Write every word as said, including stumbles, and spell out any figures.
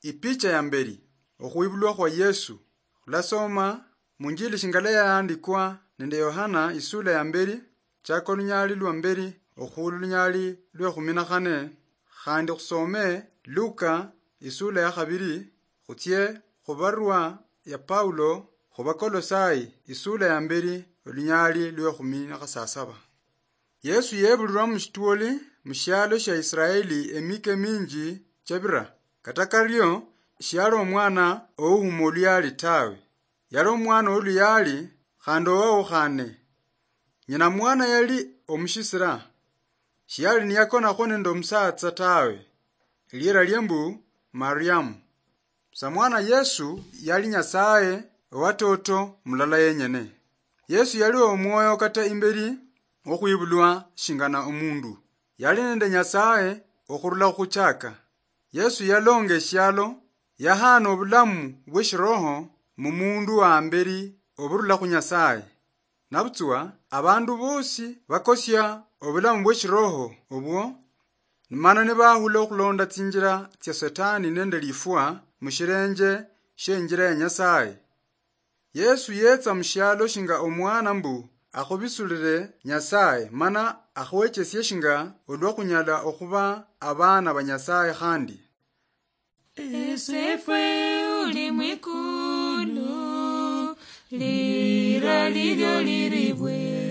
Ipicha ya mberi, okhwibulwa khwa Yesu. Khulasoma munjili shingala yaandikwa nende Yohana isula ya mberi, chaka olunyaali lwa mberi okhuula olunyaali lwa ekhumi na khane, khandi khusome Luka isula ya khabiri, khutsie khubarwa ya Paulo khubakolosai isula ya mberi olunyaali lwa ekhumi na khasasaba. Yesu yebulirwa mushitwoli mushialo shia Israeli emika eminji chabira. Kata kario, shiali omwana ouhuma oluyaali tawe. Yali omwana woluyaali khandi owawukhane. Nyina mwana yali omushisira. Shiali niyakonakhwo nende omusatsa tawe. Eliera lie mbu Mariamu. Samwana Yesu yali Nyasaye owatoto mulala yenyene. Yesu yali omwoyo kata imberi okhwibulwa shingana omundu. Yali nende Nyasaye okhurula khuchaka. Yesu yalonga eshialo, yahana obulamu bweshiroho mumundu wa mberi oburula khu Nyasaye. Nabutswa abandu bosi bakosia obulamu bweshiroho obwo, mana nibahula okhulonda tsinjira tsia Setani nende lifwa mushirenje shienjira ya Nyasaye. Yesu yetsa mushialo shinga omwana mbu akhubisulire Nyasaye, mana akhwechesie shinga olwa khunyala okhuba abana ba Nyasaye khandi. Esefwe uli mwikulu, lira lilyo liribwe.